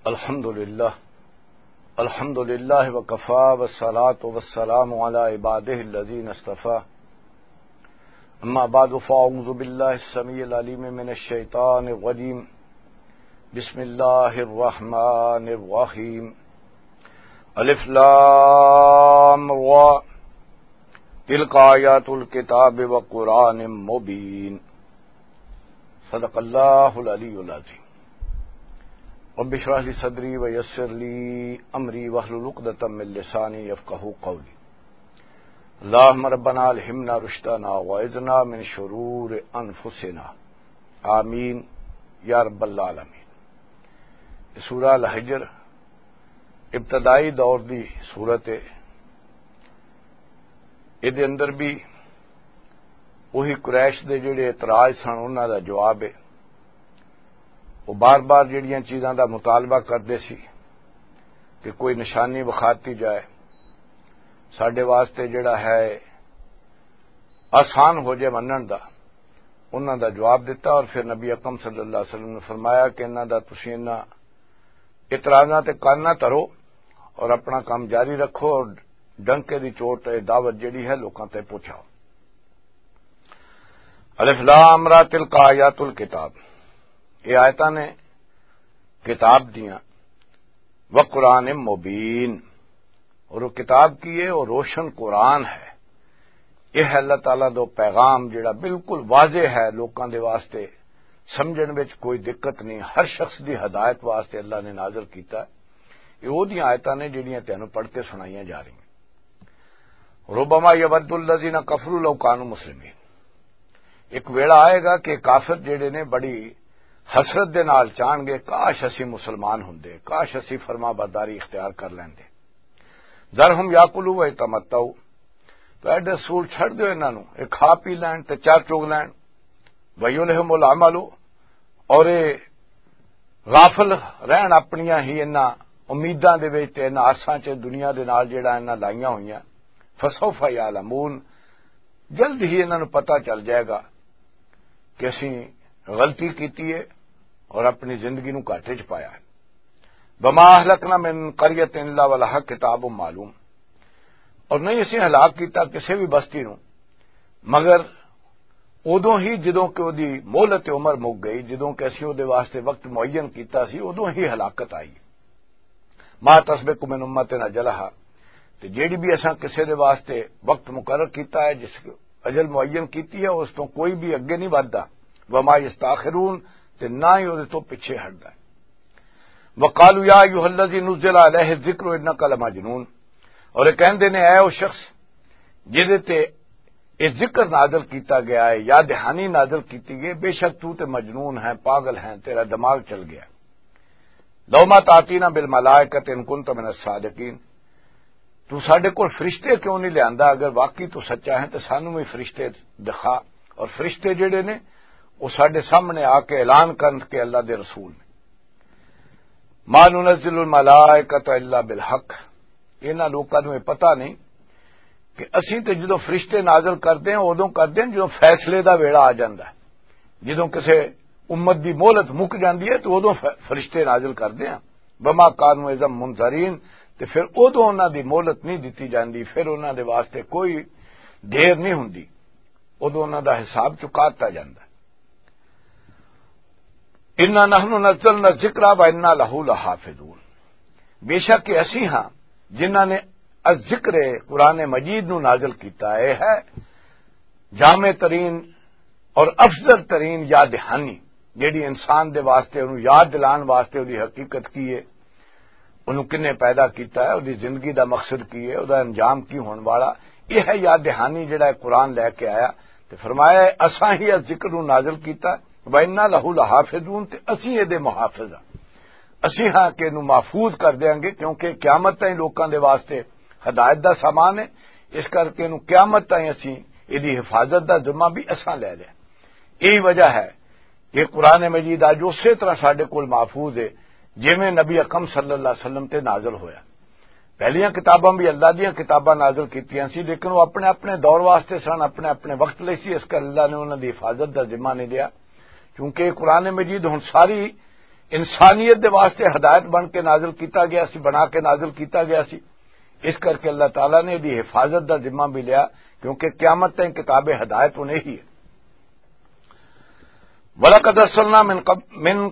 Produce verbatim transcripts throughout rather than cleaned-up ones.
الحمد لله. الحمد لله وكفى، والصلاة والسلام على عباده الذين اصطفى. أما بعد، فأعوذ بالله السميع العليم من الشيطان الرجيم. بسم الله الرحمن الرحيم. الف لام را. تلك آيات الكتاب وقرآن مبين. صدق الله العلي العظيم. رب اشرح لي صدري ويسر لي أمري واحلل عقدة من لساني يفقهوا قولي. اللهم ربنا ألهمنا رشدنا وأعذنا من شرور أنفسنا. آمين يا رب العالمين. سورہ الحجر ابتدائی دور دی صورت ہے۔ اے دے اندر بھی وہی قریش دے جڑے اعتراض سن، انہاں دا جواب ہے۔ وہ بار بار جڑیاں چیزاں دا مطالبہ کردے سی کہ کوئی نشانی وکھاتی جائے، ساڈے واسطے جڑا ہے آسان ہو جائے منن دا، انہاں دا جواب دتا۔ اور پھر نبی اکرم صلی اللہ علیہ وسلم نے فرمایا کہ انہاں دا، تسی انہاں اعتراضاں تے کان نہ دھرو اور اپنا کام جاری رکھو اور ڈنکے دی چوٹ اے دعوت جڑی ہے لوکاں تے پہنچاؤ۔ الف لام را، تلک آیات الکتاب، یہ آیتاں نے کتاب دیاں، و قرآن مبین، اور وہ کتاب کی ہے؟ وہ روشن قرآن ہے۔ یہ ہے اللہ تعالیٰ دا پیغام جڑا بالکل واضح ہے، لوکاں دے واسطے سمجھن وچ کوئی دقت نہیں، ہر شخص دی ہدایت واسطے اللہ نے نازل کیتا ہے۔ یہ وہ دیاں آیتاں نے جڑیاں تینوں پڑھ کے سنائیاں جا رہی ہیں۔ ربما یود الذین کفروا لو کانوا مسلمین۔ ایک ویڑا آئے گا کہ کافر جڑے نے بڑی حسرت دے نال چاہن گے، کاش اسی مسلمان ہوندے، کاش اسی فرما برداری اختیار کر لیندے۔ ذرہم یاکلوا و یتمتعوا، تو اے رسول چھڑ دیو انہاں نوں، اے کھا پی لین تے چار چگ لین۔ ویلہم العمل، اور اے غافل رہن اپنیاں ہی انہاں امیداں دے وچ تے انہاں آساں چ دنیا دے نال جڑا انہاں لائیاں ہوئیاں۔ فسوف یعلمون، جلد ہی انہاں نوں پتہ چل جائے گا کہ اسی غلطی کیتی ہے اور اپنی زندگی نوں گھاٹے چ پایا ہے۔ وما اہلکنا من قریۃ الا ولہا کتاب معلوم، اور نہیں اسی ہلاک کیتا کسی بھی بستی نوں مگر ادوں ہی جدوں کہ اودی مہلت عمر مک گئی، جدوں کہ اسی اودے واسطے وقت معین کیتا سی، ادوں ہی ہلاکت آئی۔ ما تسبق من امۃ اجلہا، تے جیڑی بھی اساں کسے دے واسطے وقت مقرر کیتا ہے، جس اجل معین کیتی ہے، اس تو کوئی بھی اگے نہیں وددا۔ وما یستاخرون، تے نہ ہی اودے تو پیچھے ہٹدا ہے۔ وقالوا یا ایھا الذی نزل علیہ الذکر انک لمجنون، اور یہ کہندے نے، اے او شخص جدے تے یہ ذکر نازل کیتا گیا ہے یا دہانی نازل کیتی گئی، بے شک تو تے مجنون ہے، پاگل ہے، تیرا دماغ چل گیا۔ لو ما تاتینا بالملائکۃ ان کنت من الصادقین، تو ساڈے کول فرشتے کیوں نہیں لیاندا؟ اگر واقعی تو سچا ہے تو سانو بھی فرشتے دکھا۔ اور فرشتے جڑے نے، وہ ساڈے سامنے آ کے اعلان کرن کہ اللہ دے رسول نے۔ ما ننزل الملائکۃ الا بالحق، انہاں لوکاں نوں یہ پتہ نہیں کہ اسی تے جدوں فرشتے نازل کردے ہیں، ادوں کردے ہیں جدوں فیصلے دا ویڑا آ جاندا ہے، جدوں کسے امت دی مہلت مک جاندی ہے تو ادوں ف-، فرشتے نازل کردے ہیں۔ وما کانوا اذا منذرین، تے پھر ادوں انہاں دی مہلت نہیں دتی جاندی، پھر انہاں دے واسطے کوئی دیر نہیں ہوندی، ادوں انہاں دا حساب چکا دتا جاندا ہے۔ انا نحن نزلنا الذکر و انا لہ لحافظون، بے شک کہ اسی ہاں جنہاں نے الذکر، قرآن مجید نو نازل کیتا ہے، ہے جامع ترین اور افضل ترین یاد دہانی، جیڑی انسان دے واسطے، انہوں یاد دلان واسطے، اودی حقیقت کی ہے، انہوں کنے پیدا کیتا ہے، اودی زندگی دا مقصد کی ہے، اودہ انجام کی ہون والا۔ یہ ہے یاد دہانی جڑا ہے قرآن لے کے آیا۔ تے فرمایا ہے، اساں ہی اس ذکر نو نازل کیتا، وَإِنَّا لَهُ لَحَافِظُونَ، تے اسیں اے دے محافظ ہاں۔ اسیں ہاں کہ انہوں محفوظ کر دیاں گے، کیونکہ قیامت تائیں لوکاں دے واسطے ہدایت دا سامان ہے، اس کر کے انہوں قیامت تائیں اسیں اے دی حفاظت دا ذمہ بھی اساں لے لیا۔ یہی وجہ ہے کہ قرآن مجید اج اسی طرح ساڈے کول محفوظ ہے، جویں نبی اکرم صلی اللہ علیہ وسلم تے نازل ہویا۔ پہلیاں کتاباں بھی اللہ دیاں کتاباں نازل کیتیاں سی، لیکن وہ اپنے اپنے دور واسطے سن، اپنے اپنے وقت لئی سی، اس کر اللہ نے انہاں دی حفاظت دا ذمہ نہیں لیا، کیونکہ قرآن مجید ہن ساری انسانیت دے واسطے ہدایت بن کے نازل کیتا گیا سی، بنا کے نازل کیتا گیا سی۔ اس کر کے اللہ تعالیٰ نے دی حفاظت دا ذمہ بھی لیا، کیونکہ قیامت تائیں کتاب ہدایت انہیں ہی ہے۔ وَلَقَدْ أَرْسَلْنَا مِن قَبْ-، مِن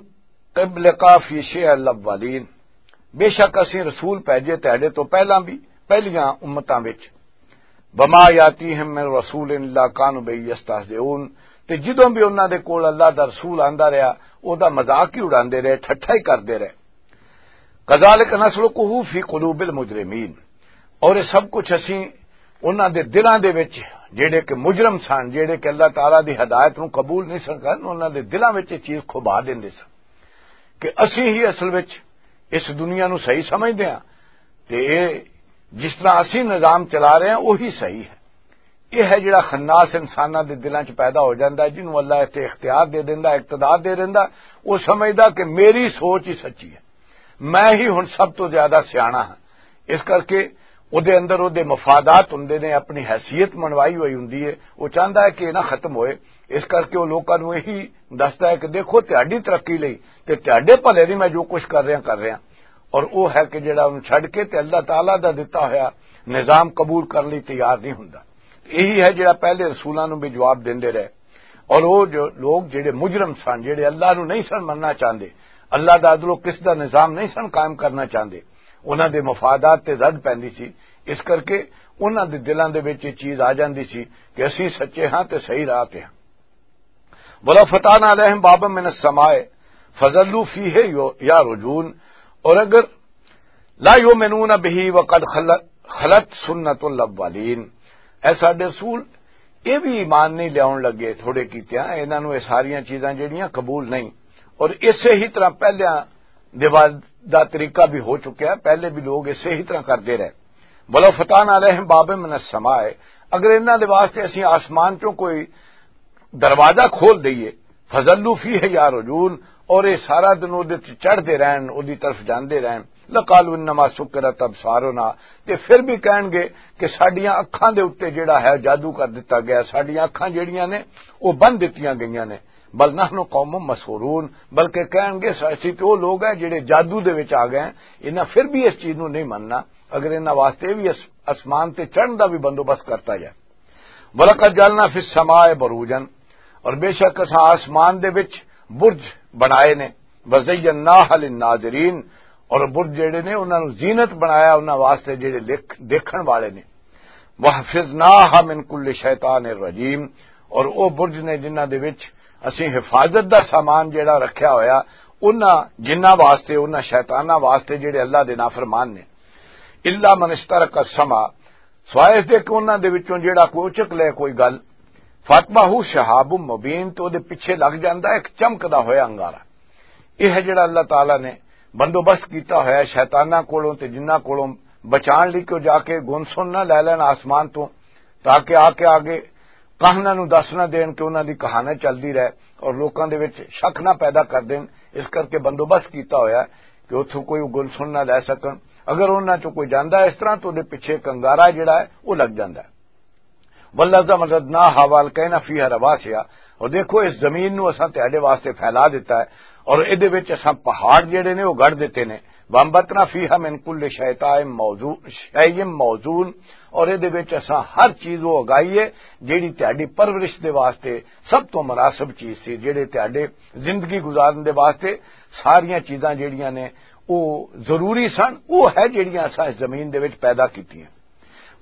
قَبْلِكَ فِي شِعَعِ الْأَوَّلِينَ، بے شک اسیں رسول بھیجے تہاڈے تو پہلاں بھی، پہلیاں امتاں وچ۔ وَمَا يَأْتِيهِم مِّن رَّسُولٍ إِلَّا كَانُوا بِهِ يَسْتَهْزِئُونَ، تے جدوں بھی انہاں دے کول اللہ دا رسول آندا رہیا، او دا مذاق ہی اڑاندے رہے، ٹھٹھا ہی کردے رہے۔ كَذَٰلِكَ نَسْلُكُهُ فِي قُلُوبِ الْمُجْرِمِينَ، اور یہ سب کچھ اسی انہاں دے دلاں دے وچ، جڑے کہ مجرم سن، جڑے کہ اللہ تعالیٰ دی ہدایت نوں قبول نہیں سن کرن، انہاں دے دلاں وچ یہ چیز کھبا دیندے سن کہ اسی ہی اصل وچ اس دنیا نوں صحیح سمجھدے ہاں، تے اے جس طرح اسی نظام چلا رہے ہیں، وہی صحیح ہے۔ یہ ہے جڑا خناس انساناں دے دلاں چ پیدا ہو جاندا ہے، جنوں اللہ اتھے اختیار دے دیندا، اقتدار دے دیندا، وہ سمجھدا کہ میری سوچ ہی سچی ہے، میں ہی ہن سب تو زیادہ سیانا ہاں۔ اس کر کے او دے اندر او دے مفادات ہوندے نے، اپنی حیثیت منوائی ہوئی ہوندی ہے۔ وہ چاہندا ہے کہ یہ نہ ختم ہوئے۔ اس کر کے وہ لوکاں نوں یہی دسدا ہے کہ دیکھو، تہاڈی ترقی لئی تے تہاڈے بھلے لئی میں جو کچھ کر رہا، کر رہا۔ اور وہ ہے کہ جڑا انہوں چھڈ کے تے اللہ تعالیٰ دا دتا ہویا نظام قبول کرن لئی تیار نہیں ہوندا۔ یہی ہے جڑا پہلے رسولاں نوں بھی جواب دیندے رہے۔ اور وہ جو لوگ جڑے مجرم سن، جڑے اللہ نوں نہیں سن مننا چاہندے، اللہ دا عدل و قسط دا نظام نہیں سن قائم کرنا چاہندے، انہاں دے مفادات تے زد پیندی سی۔ اس کر کے انہاں دے دلاں دے وچ یہ چیز آ جاندی سی کہ اسی سچے ہاں تے صحیح راہ تے ہاں۔ وَلَوْ فَتَحْنَا عَلَيْهِمْ بَابًا مِّنَ السَّمَاءِ فَظَلُّوا فِيهِ يَعْرُجُونَ، اور اگر لا يؤمنون به وقد خلت، خلت سنت الاولین۔ اے ساڈے رسول، یہ بھی ایمان نہیں لیاون لگے تھوڑے کیتیاں، انہاں نوں یہ ساریاں چیزاں جڑیاں قبول نہیں، اور اسے ہی طرح پہلیاں دے بعد دا طریقہ بھی ہو چکیا ہے، پہلے بھی لوگ اسے ہی طرح کردے رہے۔ وَلَوْ فَتَحْنَا عَلَيْهِمْ بَابًا مِّنَ السَّمَاءِ، اگر انہاں دے واسطے اسی آسمان چوں کوئی دروازہ کھول دئیے، فَظَلُّوا فِيهِ يَعْرُجُونَ، اور یہ سارا دن اودے تے چڑھدے رہن، اودی طرف جاندے رہن۔ لَقَالُوا إِنَّمَا سُكِّرَتْ أَبْصَارُنَا، تے پھر بھی کہن گے کہ ساڈیاں اکھاں دے اُتے جڑا ہے جادو کر دتا گیا، ساڈیاں اکھاں جڑیاں نے، وہ بند دتیاں گئیاں نے۔ بل نحن قوم مسحورون، بلکہ کہن گے، "اسی تے وہ لوگ ہیں جڑے جادو دے وچ آ گئے ہیں، انہاں پھر بھی اس چیز نوں نہیں مننا، اگر انہاں واسطے بھی اس-، اسمان تے چڑھن دا بھی بندوبست کرتا جائے۔" وَلَقَدْ جَعَلْنَا فِي السَّمَاءِ بُرُوجًا، اور بے شک اساں آسمان دے وچ برج بنائے نے، وَزَيَّنَّاهَا لِلنَّاظِرِينَ، اور برج جڑے نے انہاں نوں زینت بنایا انہاں واسطے جڑے لکھ-، دیکھن والے نے۔ وَحَفِظْنَاهَا مِنْ كُلِّ شَيْطَانٍ رَجِيمٍ، اور او برج نے جنہاں دے وچ اسیں حفاظت دا سامان جڑا رکھیا ہویا، انہاں جنہاں واسطے، انہاں شیطاناں واسطے جڑے اللہ دے نافرمان نے۔ إِلَّا مَنِ اسْتَرَقَ السَّمْعَ، سوائے اس دے کہ انہاں دے وچوں جڑا کوئی اچک لے کوئی گل، فَأَتْبَعَهُ شِهَابٌ مُّبِينٌ، تو دے پیچھے لگ جاندا ہے ایک چمکدا ہویا انگارا۔ یہ ہے جڑا اللہ تعالیٰ نے بندوبست کیتا ہویا ہے شیطاناں کولوں تے جنہاں کولوں بچان لئی کہ وہ جا کے گن سن نہ لے لین آسمان تو، تاکہ آ کے آگے کہاناں نوں دس نہ دین کہ انہاں دی کہانی چلدی رہے اور لوکاں دے وچ شک نہ پیدا کر دین۔ اس کر کے بندوبست کیتا ہویا ہے کہ اتھوں کوئی گن سن نہ لے سکن۔ اگر انہاں چوں کوئی جاندا ہے اس طرح تو دے پیچھے کنگارا جڑا ہے وہ لگ جاندا ہے۔ وَالْأَرْضَ مَدَدْنَاهَا وَأَلْقَيْنَا فِيهَا رَوَاسِيَ، اور دیکھو اس زمین نو اساں تہاڈے واسطے پھیلا دیتا ہے، اور ادے وچ اساں پہاڑ جڑے نے وہ گڑھ دیتے نے۔ وَأَنْبَتْنَا فِيهَا مِنْ كُلِّ شَيْءٍ مَوْزُو-، شَيْءٍ مَوْزُونٍ، اور ادے وچ اساں ہر چیز وہ اگائی ہے جڑی تہاڈی پرورش دے واسطے سب تو مناسب چیز سی، جڑے تہاڈے زندگی گزارن دے واسطے ساریاں چیزاں جڑیاں نے وہ ضروری سن، وہ ہے جڑیاں اساں اس زمین دے وچ پیدا کیتیاں۔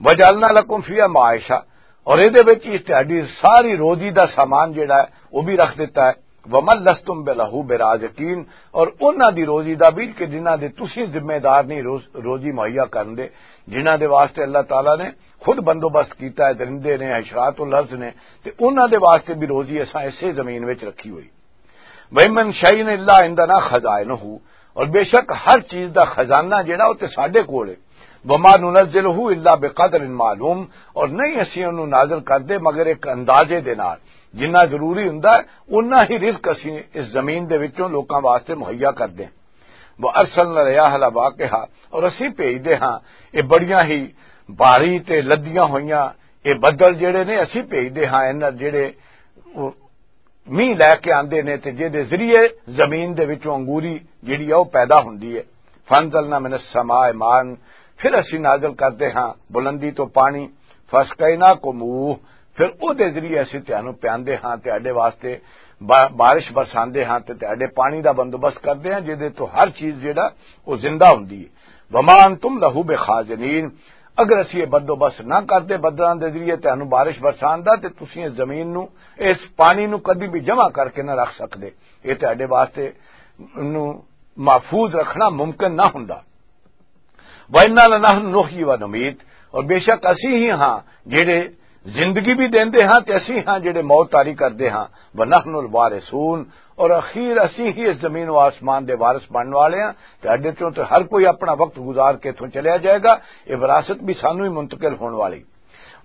وَجَعَلْنَا لَكُمْ فِيهَا مَعَاشًا، اور اے دے وچ اس تہاڈی ساری روزی دا سامان جڑا ہے وہ بھی رکھ دیتا ہے۔ وَمَنْ لَسْتُمْ لَهُ بِرَازِقِينَ، اور انہاں دی روزی دا بھی کہ جنہاں دے تسی ذمہ دار نہیں روز-، روزی مہیا کرن دے، جنہاں دے واسطے اللہ تعالیٰ نے خود بندوبست کیتا ہے، درندے نے، حشرات الارض نے، تے انہاں دے واسطے بھی روزی اساں اسے زمین وچ رکھی ہوئی۔ وَإِن مِّن شَيْءٍ إِلَّا عِندَنَا خَزَائِنُهُ، اور بے شک ہر چیز دا خزانہ جڑا وہ تے ساڈے کول ہے۔ وَمَا نُنَزِّلُهُ إِلَّا بِقَدَرٍ مَعْلُومٍ، اور نہیں اسی انہوں نازل کردے مگر ایک اندازے دے نال، جنہ ضروری ہوندا ہے، انہاں ہی رزق اسی اس زمین دے وچوں لوکاں واسطے مہیا کردے ہیں۔ وَأَرْسَلْنَا الرِّيَاحَ لَوَاقِحَ، اور اسی بھیجدے ہاں یہ بڑیاں ہی بھاری تے لدیاں ہوئیاں یہ بدل جڑے نے، اسی بھیجدے ہاں انہاں جڑے مینہ لے کے آندے نے تے جے دے ذریعے زمین دے وچوں انگوری جڑی ہے وہ پیدا ہوندی ہے۔ فانزلنا من السماء ماء، پھر اسی نازل کردے ہاں بلندی تو پانی۔ فاسقیناکموہ، پھر او دے ذریعے اسی تہانوں پیاندے ہاں، تہاڈے واسطے با-، بارش برساندے ہاں تے تہاڈے پانی دا بندوبست کردے ہاں، جے دے تو ہر چیز جڑا وہ زندہ ہوندی ہے۔ وما انتم لہ بخازنین، اگر اسی یہ بندوبست نہ کردے بدلاں دے ذریعے تہانوں بارش برسان دا، تے تسی اس زمین نو، اس پانی نو کدی بھی جمع کر کے نہ رکھ سکدے۔ یہ تہاڈے واسطے نو محفوظ رکھنا ممکن نہ ہوندا۔ وَإِنَّا لَنَحْنُ نُحْيِي وَنُمِيتُ، اور بے شک اسی ہی ہاں جڑے زندگی بھی دیندے ہاں تے اسی ہاں جڑے موت طاری کردے ہاں۔ وَنَحْنُ الْوَارِثُونَ، اور اخیر اسی ہی اس زمین و آسمان دے وارث بنن والے ہاں۔ تے اڈے چوں تے ہر کوئی اپنا وقت گزار کے اتھوں چلیا جائے گا۔ یہ وراثت بھی سانو ہی منتقل ہون والی۔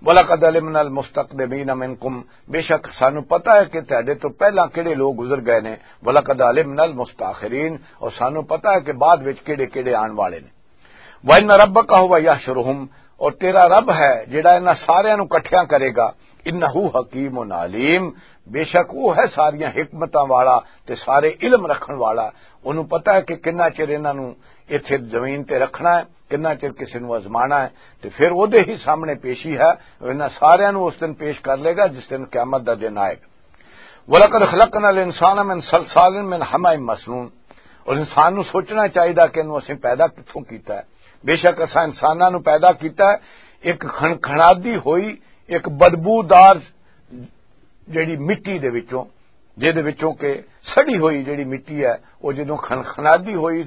وَلَقَدْ عَلِمْنَا الْمُسْتَقْدِمِينَ مِنْكُمْ، بے شک سانو پتہ ہے کہ تہاڈے تو پہلاں کہڑے لوگ گزر گئے نے۔ وَلَقَدْ عَلِمْنَا الْمُسْتَأْخِرِينَ، اور سانو پتہ ہے کہ بعد وچ کہڑے کہڑے آن والے نے۔ وَإِنَّ رَبَّكَ هُوَ يَحْشُرُهُمْ، اور تیرا رب ہے جڑا انہاں ساریاں نو اکٹھیاں کرے گا۔ إِنَّهُ حَكِيمٌ عَلِيمٌ، بے شک وہ ہے ساریاں حکمتاں والا تے سارے علم رکھن والا۔ انہوں پتہ ہے کہ کنا چر انہاں نو ایتھے زمین تے رکھنا ہے، کنا چر کسے نو آزمانا ہے، تے پھر او دے ہی سامنے پیشی ہے۔ انہاں ساریاں نو اس دن پیش کر لے گا جس دن قیامت دا دن آئے گا۔ وَلَقَدْ خَلَقْنَا الْإِنسَانَ مِنْ صَلْصَالٍ مِنْ حَمَإٍ مَسْنُونٍ، اور انسان نو سوچنا چاہیدا کہ انہوں اسیں پیدا کتھوں کیتا ہے۔ بے شک اساں انساناں نو پیدا کیتا ہے ایک کھنکھنادی ہوئی، ایک بدبودار جڑی مٹی دے وچوں، جے دے وچوں کہ سڑی ہوئی جڑی مٹی ہے، وہ جدوں کھنکھنادی ہوئی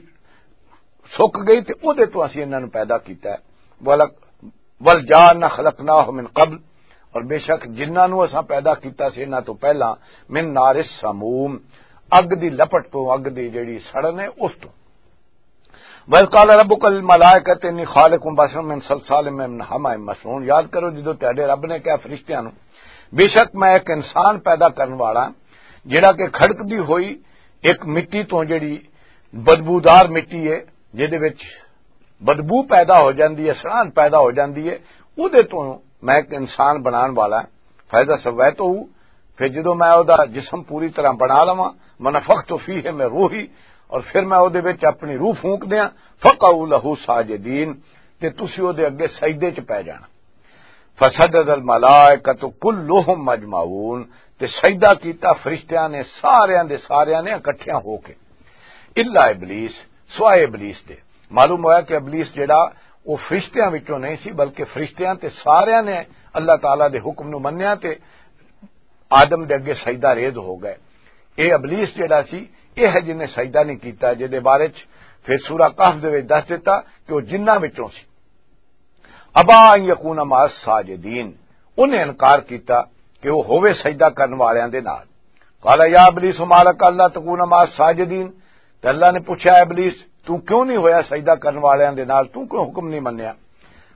سک گئی تے او دے تو اسی انہاں نو پیدا کیتا ہے۔ وَلَقَدْ وَالْجَانَّ خَلَقْنَاهُ مِنْ قَبْلُ، اور بے شک جنہاں نو اساں پیدا کیتا سی انہاں تو پہلا، مِنْ نَارِ السَّمُومِ، اگ دی لپٹ تو، اگ دی جڑی سڑن ہے اس تو۔ وَإِذْ قَالَ رَبُّكَ لِلْمَلَائِكَةِ إِنِّي خَالِقٌ بَشَرًا مِنْ صَلْصَالٍ مِنْ حَمَإٍ مَسْنُونٍ، یاد کرو جدوں تہاڈے رب نے کہا فرشتیاں نو، بے شک میں ایک انسان پیدا کرن والا ہاں، جڑا کہ کھڑک دی ہوئی ایک مٹی تو، جڑی بدبودار مٹی ہے، جے دے وچ بدبو پیدا ہو جاندی ہے، سڑان پیدا ہو جاندی ہے، او دے تو میں ایک انسان بنان والا ہاں۔ فَإِذَا سَوَّيْتُهُ، پھر جدوں میں او دا جسم پوری طرح بنا لواں، وَنَفَخْتُ فِيهِ مِنْ رُوحِي، اور پھر میں او دے وچ اپنی روح پھونک دیاں، فَقَعُوا لَهُ سَاجِدِينَ، تے تسی او دے اگے سجدے چ پے جانا۔ فَسَجَدَ الْمَلَائِكَةُ كُلُّهُمْ أَجْمَعُونَ، تے سجدہ کیتا فرشتیاں نے، ساریاں دے ساریاں نے اکٹھیاں ہو کے، الا ابلیس، سوائے ابلیس دے۔ معلوم ہویا کہ ابلیس جڑا، وہ فرشتیاں وچوں نہیں سی، بلکہ فرشتیاں تے ساریاں نے اللہ تعالیٰ دے حکم نو منیا تے آدم دے اگے سجدہ ریز ہو گئے۔ اے ابلیس جڑا سی، اے ہے جن نے سجدہ نہیں کیتا، جے دے بارے چ پھر سورہ کہف دے وچ دس دیتا کہ وہ جنہاں وچوں سی۔ ابا ان یکون مع الساجدین، انہیں انکار کیتا کہ وہ ہووے سجدہ کرن والیاں دے نال۔ قال یا ابلیس ما لک الا تکون مع الساجدین، تے اللہ نے پوچھا، "اے ابلیس، تو کیوں نہیں ہویا سجدہ کرن والیاں دے نال؟ تو کیوں حکم نہیں منیا؟"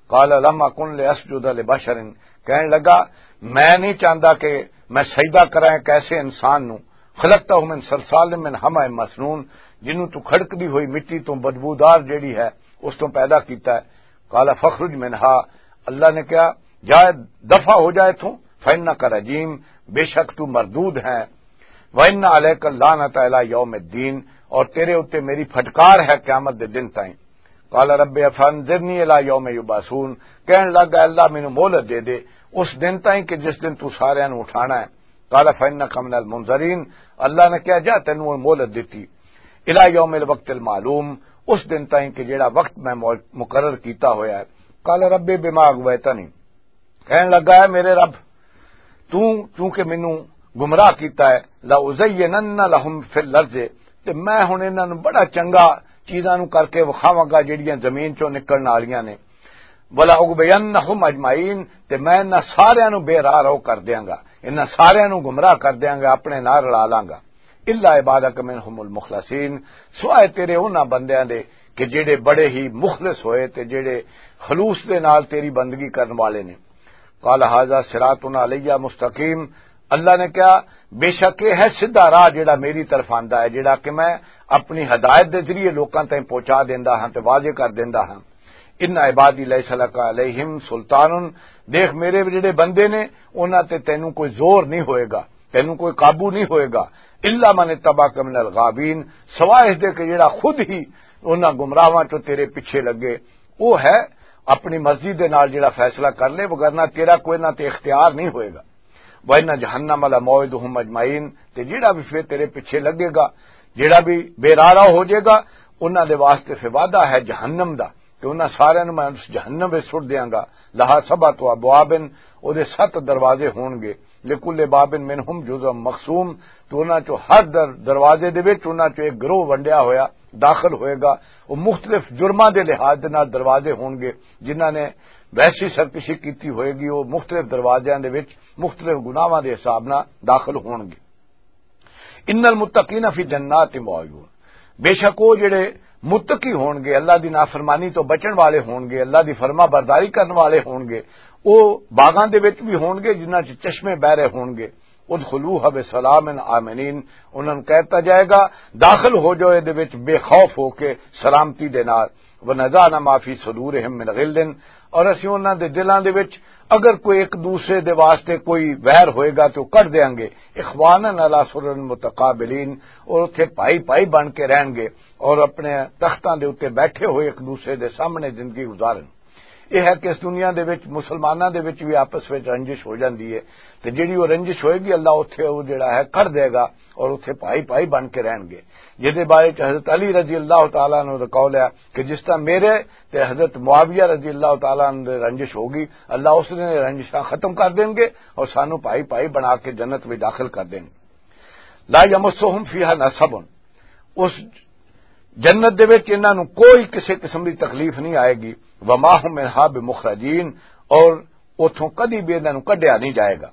قال لم اکن لاسجد لبشر، کہن لگا، "میں نہیں چاہندا کہ میں سجدہ کراں ایک ایسے انسان نو، خلقتہ من صلصال من حمأ مسنون، جنوں تو کھڑکدی ہوئی مٹی تو بدبودار جیڑی ہے، اس تو پیدا کیتا ہے۔" قال فاخرج منہا، اللہ نے کہا، "جا، دفع ہو جائے تو، فانک رجیم، بے شک تو مردود ہے، وان علیک اللعنۃ الی یوم الدین، اور تیرے اُتے میری پھٹکار ہے قیامت دے دن تائیں۔" قال رب فانظرنی الی یوم یبعثون، کہن لگ، "اے اللہ، مینوں مہلت دے دے اس دن تائیں کہ جس دن تو ساریاں نوں اٹھانا ہے۔" قال فانک من المنظرین، اللہ نے کہا، "جا، تینوں ہن مہلت دتی، الی یوم الوقت المعلوم، اس دن تائیں کہ جیڑا وقت میں مو-، مقرر کیتا ہویا ہے۔" قال رب بما اغویتنی، کہن لگا، "اے میرے رب، تو چونکہ مینوں گمراہ کیتا ہے، لازینن لہم فی الارض، تے میں ہن انہاں نوں بڑا چنگا چیزاں نوں کر کے وکھاواں گا جڑیاں زمین چوں نکلن والیاں نے، ولا اغوینہم اجمعین، تے میں انہاں ساریاں نوں بے راہ رو کر دیاں گا، انہاں ساریاں نوں گمراہ کر دیاں گا، اپنے نال رلا لاں گا۔ الا عبادک منہم المخلصین، سوائے تیرے انہاں بندیاں دے کہ جڑے بڑے ہی مخلص ہوئے تے جڑے خلوص دے نال تیری بندگی کرن والے نے۔ قال ھذا صراط علی مستقیم، اللہ نے کہا، "بے شک یہ ہے سیدھا راہ جڑا میری طرف آندا ہے، جڑا کہ میں اپنی ہدایت دے ذریعے لوکاں تائیں پہنچا دیندا ہاں تے واضح کر دیندا ہاں۔ ان عبادی لیس لک علیہم سلطان، دیکھ میرے جڑے بندے نے، انہاں تے تینوں کوئی زور نہیں ہوئے گا۔" تینوں کوئی قابو نہیں ہوئے گا۔ الا من اتبعک من الغاوین، سوائے اس دے کہ جڑا خود ہی انہاں گمراہاں چوں تیرے پیچھے لگے، وہ ہے اپنی مرضی دے نال جڑا فیصلہ کر لے، وگرنہ تیرا کوئی نہ تے اختیار نہیں ہوئے گا۔ وَإِنَّ جَهَنَّمَ لَمَوْعِدُهُمْ أَجْمَعِينَ، تے جڑا بھی پھر تیرے پیچھے لگے گا، جڑا بھی بے راہ ہو جائے گا، انہاں دے واسطے پھر وعدہ ہے جہنم دا، کہ انہاں سارے نوں میں اس جہنم وچ سٹ دیاں گا۔ لہا سبعۃ ابواب، او دے ست دروازے ہون گے، لکل باب منہم جزء مقسوم، تو انہاں چوں ہر در-، دروازے دے وچ انہاں چوں ایک گروہ ونڈیا ہویا داخل ہوئے گا۔ وہ مختلف جرماں دے لحاظ دے نال دروازے ہون گے، جنہاں نے ویسی سرکشی کیتی ہوئے گی، وہ مختلف دروازیاں دے وچ مختلف گناہاں دے حساب نال داخل ہون گے۔ ان المتقین فی جنات و عیون، بے شک وہ جڑے متقی ہون گے، اللہ دی نافرمانی تو بچن والے ہون گے، اللہ دی فرما برداری کرن والے ہون گے، وہ باغاں دے وچ بھی ہون گے جنہاں چ چشمے بہ رہے ہون گے۔ ادخلوها بسلام آمنین، انہاں نوں کہتا جائے گا، داخل ہو جاؤ اے دے وچ بے خوف ہو کے، سلامتی دے نال۔ ونزعنا ما فی صدورہم من غل، اور اسی انہاں دے دلاں دے وچ اگر کوئی ایک دوسرے دے واسطے کوئی ویر ہوئے گا تو کٹ دیاں گے۔ اخوانا علی سرر متقابلین، اور اتھے بھائی بھائی بن کے رہن گے اور اپنے تختاں دے اُتے بیٹھے ہوئے ایک دوسرے دے سامنے زندگی گزارن۔ یہ ہے کہ اس دنیا دے وچ مسلماناں دے وچ بھی آپس وچ رنجش ہو جاندی ہے، تے جڑی وہ رنجش ہوئے گی، اللہ اتھے وہ جڑا ہے کر دے گا اور اتھے بھائی بھائی بن کے رہن گے۔ جس دے بارے چ حضرت علی رضی اللہ تعالیٰ عنہ دا قول ہے کہ جس طرح میرے تے حضرت معاویہ رضی اللہ تعالیٰ عنہ دے رنجش ہوگی، اللہ اس دن رنجشاں ختم کر دیں گے اور سانو بھائی بھائی بنا کے جنت وچ داخل کر دیں گے۔ لا یمسہم فیہا نصب، اس جنت دے وچ انہاں نوں کوئی کسے قسم دی تکلیف نہیں آئے گی۔ وما ہم منہا بمخرجین، اور اتھوں کدی بھی انہاں نوں کڈیا نہیں جائے گا۔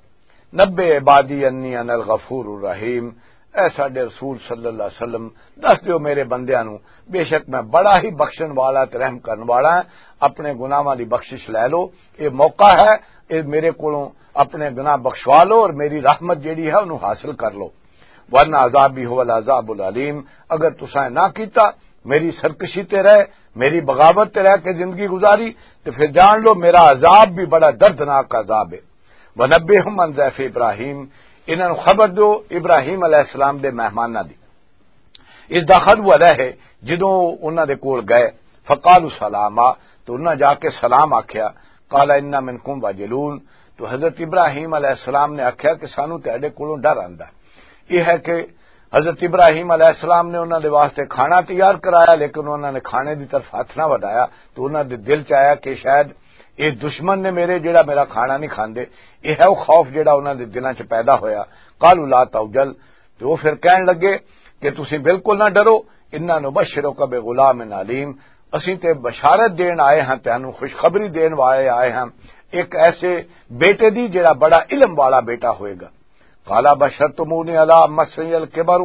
نبئ عبادی انی انا الغفور الرحیم، اے ساڈے رسول صلی اللہ علیہ وسلم، دس دیو میرے بندیاں نوں، بے شک میں بڑا ہی بخشن والا تے رحم کرن والا ہاں، اپنے گناہاں دی بخشش لے لو، اے موقع ہے، اے میرے کولوں اپنے گناہ بخشوا لو اور میری رحمت جیڑی ہے انہوں حاصل کر لو۔ ورنہ عذابی هو العذاب العلیم، اگر تساں نہ کیتا، میری سرکشی تے رہ، میری بغاوت تے رہ کے زندگی گزاری، تے پھر جان لو میرا عذاب بھی بڑا دردناک عذاب ہے۔ ونبئہم عن ضیف ابراہیم، انہاں نوں خبر دو ابراہیم علیہ السلام دے مہماناں دی۔ اذ دخلوا علیہ، جدوں انہاں دے کول گئے، فقالوا سلاما، تو انہاں جا کے سلام آکھیا۔ قال انا منکم واجلون، تو حضرت ابراہیم علیہ السلام نے آکھیا کہ سانو تہاڈے کولوں ڈر آندا ہے۔ یہ ہے کہ حضرت ابراہیم علیہ السلام نے انہاں دے واسطے کھانا تیار کرایا، لیکن انہاں نے کھانے دی طرف ہاتھ نہ ودایا، تو انہاں دے دل چ آیا کہ شاید یہ دشمن نے میرے، جڑا میرا کھانا نہیں کھاندے۔ یہ ہے وہ خوف جڑا انہاں دے دلاں چ پیدا ہویا۔ قالوا لا توجل، تے وہ پھر کہن لگے کہ تسی بالکل نہ ڈرو، انا نبشرک بغلام علیم، اسیں تے بشارت دین آئے ہاں، تینوں خوشخبری دین والے آئے ہاں، ایک ایسے بیٹے دی جڑا بڑا علم والا بیٹا ہوئے گا۔ قال بشرتمونی علی مسنی الکبر،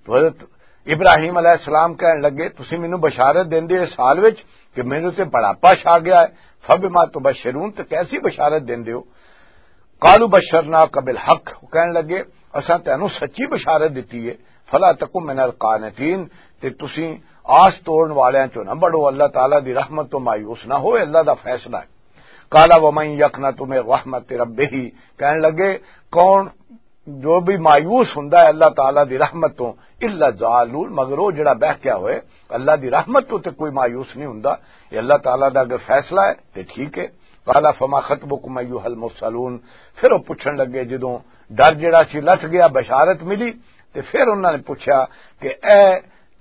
تو حضرت ابراہیم علیہ السلام کہن لگے، تسی مینوں بشارت دیندے اس حال وچ کہ مینوں تے بڑھاپا چھا گیا ہے، فبما تبشرون، تے کیسی بشارت دیندے ہو؟ قالوا بشرناک بالحق، وہ کہن لگے، اساں تینوں سچی بشارت دتی ہے، فلا تکن من القانتین، تے تسی آس توڑن والیاں چوں نہ بڑو، اللہ تعالیٰ دی رحمت تو مایوس نہ ہوئے، اللہ دا فیصلہ ہے۔ قال ومن یقنط من رحمت ربہ، کہن لگے، کون جو بھی مایوس ہوندا ہے اللہ تعالیٰ دی رحمت تو، الا الضالون، مگر وہ جڑا بہکیا ہوئے، اللہ دی رحمت تو تے کوئی مایوس نہیں ہوندا۔ یہ اللہ تعالیٰ دا اگر فیصلہ ہے تے ٹھیک ہے۔ قال فما خطبکم ایھا المرسلون، پھر وہ پوچھن لگے، جدوں ڈر جڑا سی لٹ گیا، بشارت ملی، تے پھر انہاں نے پوچھا کہ اے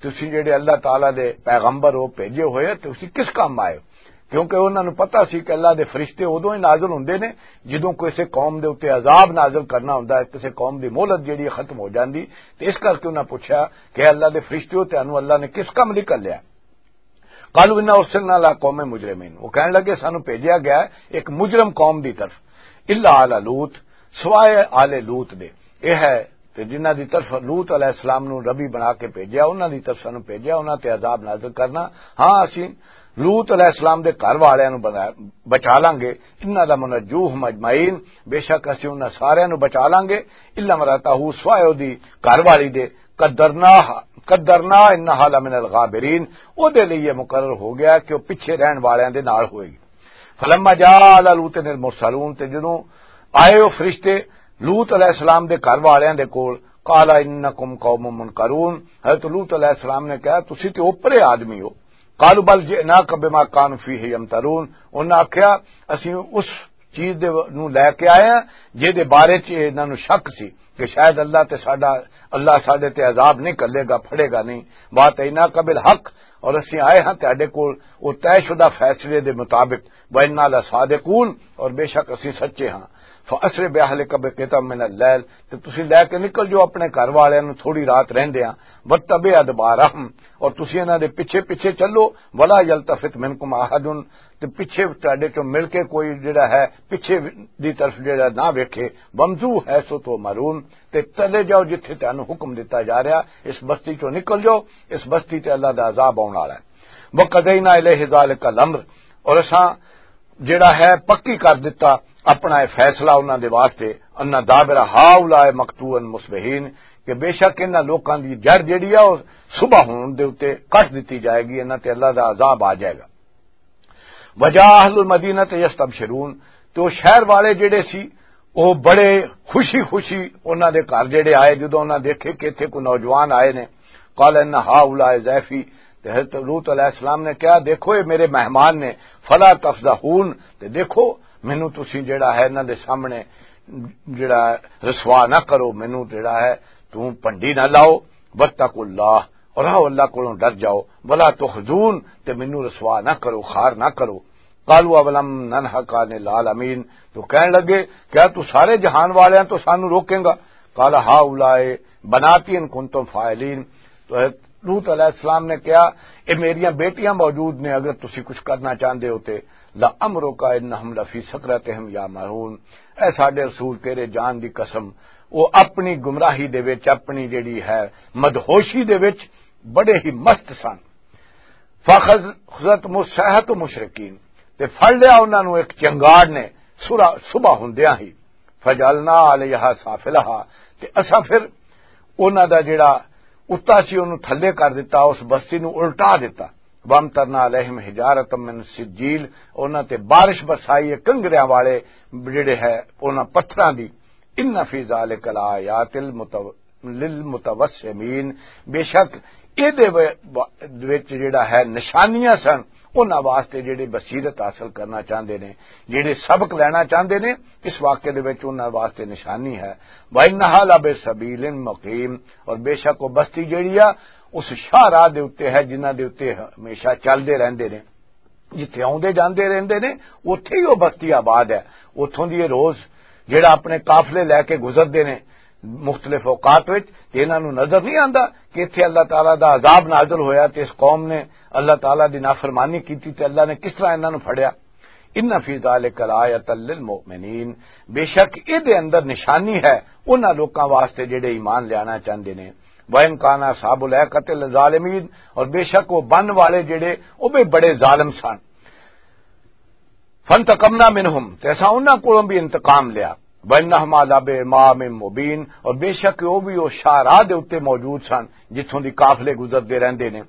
تسی جڑے اللہ تعالیٰ دے پیغمبر ہو، بھیجے ہوئے، تسی کس کام آئے ہو؟ کیونکہ انہاں نوں پتہ سی کہ اللہ دے فرشتے ادوں ہی نازل ہوندے نے جدوں کسے قوم دے اُتے عذاب نازل کرنا ہوندا ہے، کسے قوم دی مہلت جڑی ہے ختم ہو جاندی۔ تے اس کر کے انہاں پوچھا کہ اللہ دے فرشتے ہو، تانوں اللہ نے کس کم لئی کر لیا؟ قالوا انا ارسلنا علی قوم مجرمین، وہ کہن لگے، سانوں بھیجیا گیا ہے ایک مجرم قوم دی طرف، الا آل لوط، سوائے آل لوط دے۔ یہ ہے تے جنہاں دی طرف لوط علیہ السلام نوں نبی بنا کے بھیجیا، انہاں دی طرف سانوں بھیجیا، انہاں تے عذاب نازل کرنا۔ ہاں، اسی لوط علیہ السلام دے گھر والیاں نوں بنا-، بچا لانگے۔ انا لمنجوہم اجمعین، بے شک اسی انہاں ساریاں نوں بچا لانگے۔ الا امرأتہ، سوائے او دی گھر والی دے، قدرنا، قدرنا انہا لمن الغابرین، او دے لئی یہ مقرر ہو گیا کہ وہ پیچھے رہن والیاں دے نال ہوئے گی۔ فلما جاء آل لوط المرسلون، تے جدوں آئے وہ فرشتے لوط علیہ السلام دے گھر والیاں دے کول، "قال انکم قوم منکرون۔" حضرت لوط علیہ السلام نے کہا، "تسی تے اوپرے آدمی ہو۔" "قالوا بل جئناک بما کانوا فیہ یمترون۔" انہاں آکھیا، "اسی اس چیز دے نوں لے کے آئے ہاں جے دے بارے چ انہاں نوں شک سی کہ شاید اللہ تے ساڈا، اللہ ساڈے تے عذاب نہیں کلے گا، پھڑے گا نہیں۔ واتیناک بالحق، اور اسی آئے ہاں تہاڈے کول او طے شدہ فیصلے دے مطابق، وانا لصادقون، اور بے شک اسی سچے ہاں۔ فاسر باہلک بقطع من اللیل، تے تسی لے کے نکل جو اپنے گھر والیاں نوں تھوڑی رات رہندے ہاں، واتبع ادبارہم، اور تسی انہاں دے پیچھے پیچھے چلو، ولا یلتفت منکم احد، تے پیچھے تہاڈے چوں مل کے کوئی جڑا ہے پیچھے دی طرف جڑا نہ ویکھے، وامضوا حیث تؤمرون، تے چلے جاؤ جتھے تانوں حکم دتا جا رہا، اس بستی چوں نکل جاؤ، اس بستی تے اللہ دا عذاب آن والا ہے۔" وقضینا الیہ ذلک الامر، اور اساں جڑا ہے پکی کر دتا اپنا یہ فیصلہ انہاں دے واسطے، ان دابر ہؤلاء مقطوع مصبحین، کہ بے شک انہاں لوکاں دی جڑ جڑی ہے، او صبح ہون دے اُتے کٹ دتی جائے گی، انہاں تے اللہ دا عذاب آ جائے گا۔ وجاء اہل المدینہ یستبشرون، تو شہر والے جڑے سی، وہ بڑے خوشی خوشی انہاں دے گھر جڑے آئے، جدوں انہاں دیکھے کہ اتھے کوئی نوجوان آئے نے۔ قال ان ہؤلاء ضیفی، تے حضرت لوط علیہ السلام نے کہا، "دیکھو، یہ میرے مہمان نے، فلا تفضحون، تے دیکھو، مینوں تسی جڑا ہے انہاں دے سامنے جڑا رسوا نہ کرو، مینوں جڑا ہے توں پنڈی نہ لاؤ، واتقوا اللہ، اور آؤ اللہ کولوں ڈر جاؤ، ولا تخزون، تے مینوں رسوا نہ کرو، خار نہ کرو۔" قالوا اولم ننهک عن العالمین، تو کہن لگے، "کیا تو سارے جہان والیاں تو سانو روکیں گا؟" قال هؤلاء بناتی ان کنتم فاعلین، تو حضرت لوط علیہ السلام نے کہا، "اے میریاں بیٹیاں موجود نے، اگر تسی کچھ کرنا چاہندے ہو تے۔" لعمرک انہم لفی سکرتہم یعمہون، اے ساڈے رسول، تیرے جان دی قسم، وہ اپنی گمراہی دے وچ، اپنی جڑی ہے مدہوشی دے وچ بڑے ہی مست سن۔ فاخذتہم الصیحۃ مشرقین، تے پھڑ لیا انہاں نوں ایک چنگاڑ نے، سورا-، صبح ہوندیاں ہی۔ فجعلنا علیہا سافلہا، تے اساں پھر انہاں دا جڑا اُتا سی انہوں تھلے کر دتا، اس بستی نوں الٹا دتا۔ وامطرنا علیہم حجارۃ من سجیل، انہاں تے بارش برسائی ہے کنگریاں والے جڑے ہے انہاں پتھراں دی۔ ان فی ذلک لآیات المتو-، للمتوسمین، بے شک اے دے و-، و-، وچ جڑا ہے نشانیاں سن انہاں واسطے جڑے بصیرت حاصل کرنا چاہندے نے، جڑے سبق لینا چاہندے نے، اس واقعے دے وچ انہاں واسطے نشانی ہے۔ وانہا لبسبیل مقیم، اور بے شک وہ بستی جڑی آ، اس شاہراہ دے اُتے ہے جنہاں دے اُتے ہمیشہ چلدے رہندے نے، جتھے آوندے جاندے رہندے نے، اوتھے ہی وہ بستی آباد ہے۔ اوتھوں دی یہ روز جڑا اپنے قافلے لے کے گزردے نے مختلف اوقات وچ، تے انہاں نوں نظر نہیں آندا کہ اتھے اللہ تعالیٰ دا عذاب نازل ہویا تے اس قوم نے اللہ تعالیٰ دی نافرمانی کیتی تے اللہ نے کس طرح انہاں نوں پھڑیا۔ ان فی ذلک لآیۃ للمؤمنین، بے شک اے دے اندر نشانی ہے انہاں لوکاں واسطے جڑے ایمان لیانا چاہندے نے۔ وَإِنْ كَانَ أَصْحَابُ الْأَيْكَةِ لَظَالِمِينَ، اور بے شک وہ بن والے جڑے، وہ بھی بڑے ظالم سن۔ فَانْتَقَمْنَا مِنْهُمْ، تے اساں انہاں کولوں بھی انتقام لیا۔ وَإِنَّهُمَا لَبِإِمَامٍ مُّبِينٍ، اور بے شک وہ بھی وہ شاہراہ دے اُتے موجود سن جتھوں دی قافلے گزردے رہندے نے۔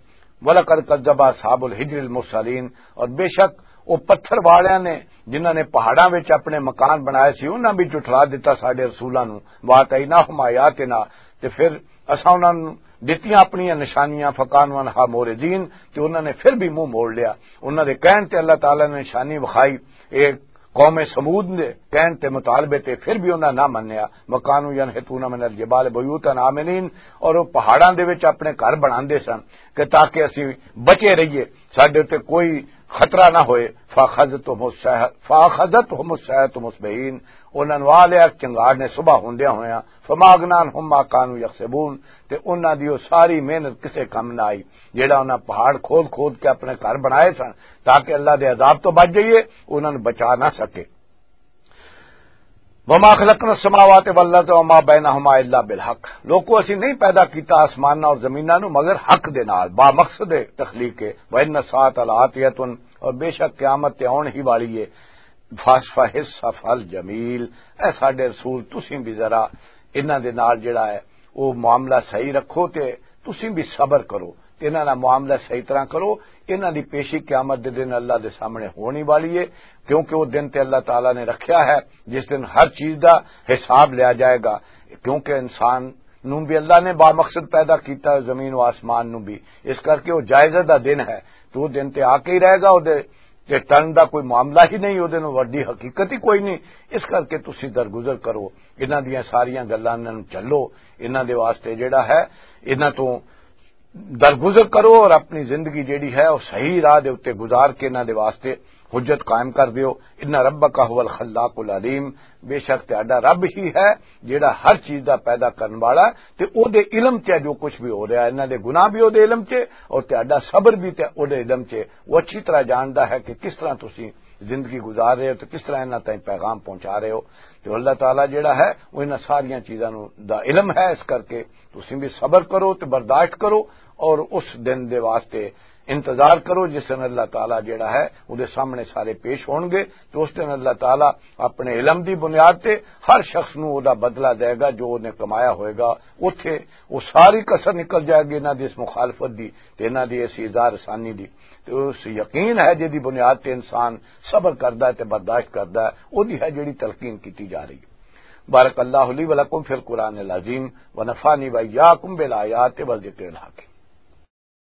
وَلَقَدْ كَذَّبَ أَصْحَابُ الْحِجْرِ الْمُرْسَلِينَ، اور بے شک وہ پتھر والیاں نے جنہاں نے پہاڑاں وچ اپنے مکان بنائے سی، انہاں بھی جھٹلا دتا ساڈے رسولاں نوں۔ وَآتَيْنَاهُمْ آيَاتِنَا، تے پھر اساں انہاں نوں دتیاں اپنیاں نشانیاں، فَكَانُوا عَنْهَا مُعْرِضِينَ، تے انہاں نے پھر بھی منہ موڑ لیا۔ انہاں دے کہن تے اللہ تعالیٰ نے نشانی وکھائی، اے قوم سمود دے کہن تے مطالبے تے پھر بھی انہاں نہ منیا۔ وَكَانُوا يَنْحِتُونَ مِنَ الْجِبَالِ بُيُوتًا آمِنِينَ، اور وہ پہاڑاں دے وچ اپنے گھر بناندے سن کہ تاکہ اسی بچے رہیے، ساڈے تے کوئی خطرہ نہ ہوئے۔ فَأَخَذَتْهُمُ الصَّيْحَةُ، فَأَخَذَتْهُمُ الصَّيْحَةُ مُصْبِحِينَ، انہاں نوں آ لیا چنگاڑ نے صبح ہوندیاں ہویاں۔ فَمَا أَغْنَىٰ عَنْهُمْ مَا كَانُوا يَكْسِبُونَ، تے انہاں دی وہ ساری محنت کسے کم نہ آئی، جیڑا انہاں پہاڑ کھود کھود کے اپنے گھر بنائے سن تاکہ اللہ دے عذاب تو بچ جائیے، انہاں نوں بچا نہ سکے۔ وَمَا خَلَقْنَا السَّمَاوَاتِ وَالْأَرْضَ وَمَا بَيْنَهُمَا إِلَّا بِالْحَقِّ، لوکو، اسی نہیں پیدا کیتا آسماناں اور زمیناں نوں مگر حق دے نال، با مقصد تخلیق ہے۔ وَإِنَّ السَّاعَةَ لَآتِيَةٌ، اور بے شک قیامت تے آن ہی والی ہے۔ فَاصْفَحِ الصَّفْحَ الْجَمِيلَ، اے ساڈے رسول، تسیں بھی ذرا انہاں دے نال جڑا ہے، وہ معاملہ صحیح رکھو تے تسیں بھی صبر کرو۔ انہاں دا معاملہ صحیح طرح کرو۔ انہاں دی پیشی قیامت دے دن اللہ دے سامنے ہونی والی ہے، کیونکہ وہ دن تے اللہ تعالیٰ نے رکھیا ہے جس دن ہر چیز دا حساب لیا جائے گا۔ کیونکہ انسان نوں بھی اللہ نے بامقصد پیدا کیتا ہے، زمین و آسمان نوں بھی، اس کر کے وہ جائزہ دا دن ہے۔ تو وہ دن تے آ کے ہی رہے گا، وہ دے تے ٹرن دا کوئی معاملہ ہی نہیں، وہ دے نوں وڈی حقیقت ہی کوئی نہیں۔ اس کر کے تسی درگزر کرو، انہاں دیاں ساریاں گلاں نوں چلو، انہاں دے واسطے جڑا ہے، انہاں تو درگزر کرو اور اپنی زندگی جیڑی ہے، وہ صحیح راہ دے اُتے گزار کے انہاں دے واسطے حجت قائم کر دیو۔ ان ربک هو الخلاق العلیم، بے شک تہاڈا رب ہی ہے جیڑا ہر چیز دا پیدا کرن والا ہے، تے او دے علم چ جو کچھ بھی ہو رہا ہے، انہاں دے گناہ بھی او دے علم چ، اور تہاڈا صبر بھی تے او دے علم چ۔ وہ اچھی طرح جاندا ہے کہ کس طرح تسی زندگی گزار رہے ہو تے کس طرح انہاں تائیں پیغام پہنچا رہے ہو۔ تے اللہ تعالیٰ جیڑا ہے، وہ انہاں ساریاں چیزاں نوں دا علم ہے، اس کر کے تسی بھی صبر کرو تے برداشت کرو، اور اس دن دے واسطے انتظار کرو جس دن اللہ تعالیٰ جیڑا ہے، وہ دے سامنے سارے پیش ہون گے۔ تو اس دن اللہ تعالیٰ اپنے علم دی بنیاد تے ہر شخص نوں وہ دا بدلہ دے گا جو انہیں کمایا ہوئے گا۔ اتھے وہ ساری کسر نکل جائے گی انہاں دی اس مخالفت دی تے انہاں دی اس ایذا رسانی دی۔ تے اس یقین ہے جس دی بنیاد تے انسان صبر کردا ہے تے برداشت کردا ہے، وہ دی ہے جڑی تلقین کیتی جا رہی ہے۔ بارک اللہ لی و لکم فی القرآن العظیم و نفعنی و ایاکم بالآیات و ذکر الحکیم۔